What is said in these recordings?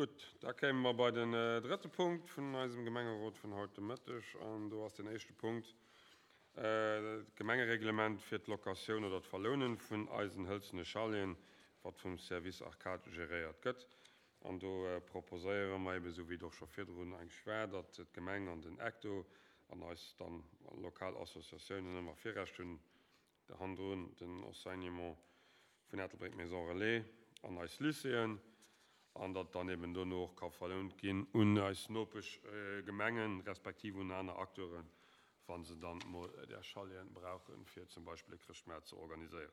Gutt, da kéime mer bei den drëtte Punkt vun eisem Gemengerot vun haut de Mëtteg. An do ass deen éischte Punkt d'Gemengereglement fir d'Locatioun oder d'Verlounen vun eisen hëlzene Chaleten, wat vum Service Arcade geréiert gëtt. An do proposéiere mer eben, esou wéi et och scho virdrun eigentlech war, datt d'Gemeng an den Ecto an eis dann lokal Associatiounen ëmmer Virrecht hunn, hannendrun den Enseignement vun Ettelbréck, Maison Relais an eis Lycéeën, an datt dann eben dono och ka verlount ginn un eis Nopeschgemengen, respektiv un aner Acteuren, wa se dann mol där Chaleten brauchen, fir zum Beispill e Chrëschtmaart ze organiséieren.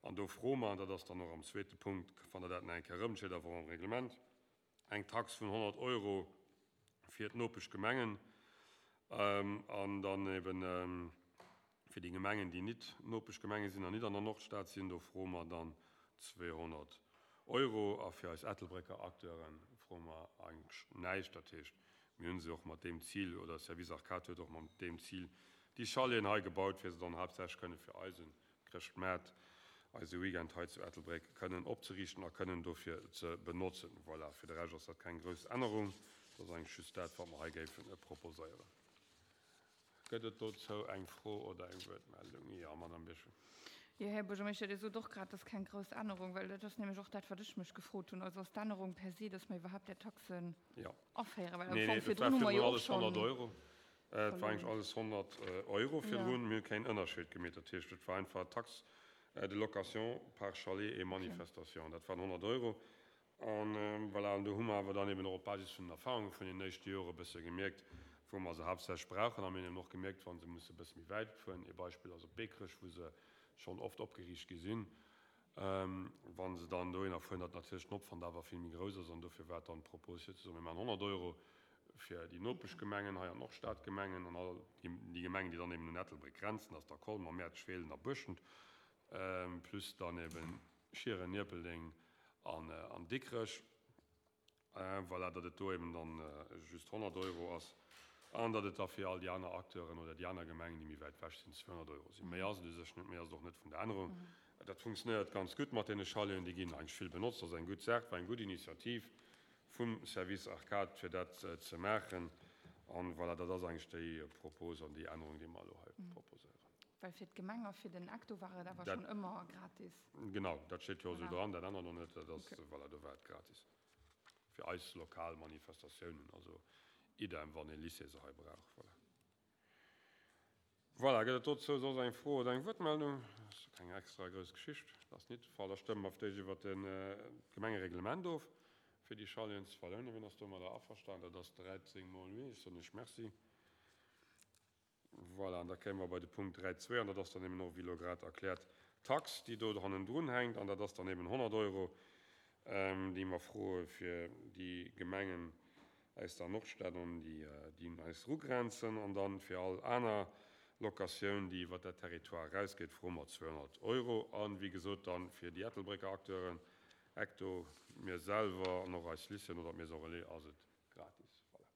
An do froe mer, an dat ass dann och am zweete Punkt, fannt Der dat nach eng Kéier erëm, steet awer och am Reglement, eng Tax vun 100 Euro fir d'Nopeschgemengen an dann eben fir déi Gemengen, déi nit Nopeschgemenge sinn an nit an der Nordstad sinn, do froe mer dann 200 Euro. A fir eis Ettelbrécker Acteure froe mer eigentlech näischt. Dat heescht, mir hu se och mat deem Zil, oder Service Arcade huet och mat deem Zil déi Chaleten hei gebaut, fir se dann haaptsächlech kënne fir eisen Chrëschtmaart, eise Weekend hei zu Ettelbréck kënnen opzeriichten a kënnen dofir ze benotzen. Voilà, fir de Rescht ass dat keng grouss Ännerung. Dat ass eigentlech just dat, wat mer hei géife proposéieren. Gëtt et dozou eng Fro oder eng Wuertmeldung? Jo, Madame Birchen. Jo, Här Buergermeeschter, Dir sot och grad, dat ass keng grouss Ännerung, well dat ass nämlech och dat, wat ech mech gefrot hunn. Also ass d'Ännerung per se, dass mer iwwerhaapt där Taxen aféieren? Well am Fong virdrun hu mer jo och schonn. Et war eigentlech alles 100 Euro virdrun. Mir hu keen Ënnerscheed gemeet. Dat heescht, et war einfach d'Taxe de location par chalet et manifestation. Dat waren 100 Euro. An voilà, an do hu mer awer dann eben och op Basis vun den Erfahrunge vun den éischte Jore e bësse gemierkt, wou mer se haaptsächlech brauchen. A mir hunn eben och gemierkt, wa se musse e bësse méi wäit fueren, ee Beispill ass op Beekrech, wou se schonn oft opgeriicht gi sinn, wa se dann dohinner fueren, datt natierlech den Opwand awer vill méi grouss ass. An dofir war dann d'Propos fir ze soen, mir maachen 100 Euro fir déi Nopeschgemengen hei an d'Nordstadgemengen an all déi Gemengen, déi dann eben un Ettelbréck grenzen, dat ass da Colmer, Mäertert, Feelen a Buerschent, plus dann eben Schieren, Ierpeldeng an Dikrech. Voilà, datt et do eben dann just 100 Euro ass an datt et da fir all déi aner Acteuren oder déi aner Gemengen, déi méi wäit ewech sinn, 200 Euro sinn. Méi ass et u sech net, méi ass et och net vun der Ännerung. Dat funktionéiert ganz gutt mat deene Chaleten, déi ginn eigentlech vill benotzt. Dat ass eng gutt Saach, war eng gutt Initiativ vum Service Arcade, fir dat ze maachen. An voilà, dat ass eigentlech déi Propos an déi Ännerung, déi mer elo hei proposéieren. Well fir d'Gemeng a fir den Ecto war et awer schonn ëmmer gratis. Genau, dat steet jo esou dran, dat ännert och net. Dat ass, voilà, do war et gratis. Fir eis lokal Manifestatiounen, also idem, wann ee Lycée se hei brauch. Voilà. Voilà, gëtt et dozou soss eng Fro oder eng Wuertmeldung? Dat ass keng extra grouss Geschicht. Dat ass nit de Fall. Da stëmme mer fir d'éischt iwwert d'Gemengereglement of, fir déi Chaleten ze verlounen. Wien ass domadder averstanen? Dat ass 13 mol oui. Ech soen Iech Merci. Voilà, an da kéime mer bei de Punkt 3.2, an dat ass dann eben och, wéi elo grad erkläert, d'Tax, déi do hannendrun hänkt, an dat ass dann eben 100 Euro, déi mer froe fir déi Gemengen aus der Nordstad an déi, déi un eis erugrenzen, an dann fir all aner Locatioun, déi iwwert dat Territoire erausgeet, froe mer 200 Euro. A wéi gesot dann fir déi Ettelbrécker Acteuren, Ecto, mir selwer an och eis Lycéeën oder d'Maison Relais ass et gratis. Voilà.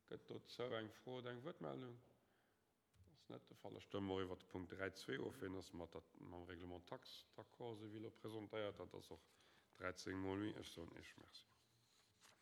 Gëtt dozou eng Fro oder eng Wuertmeldung? Ass net de Fall. Da stëmme mer iwwert de Punkt 3.2 of. Wien ass mat der, mam Règlement taxe d'accord, esou wéi elo presentéiert? Dat ass och 13 mol oui. Ech soen Iech Merci.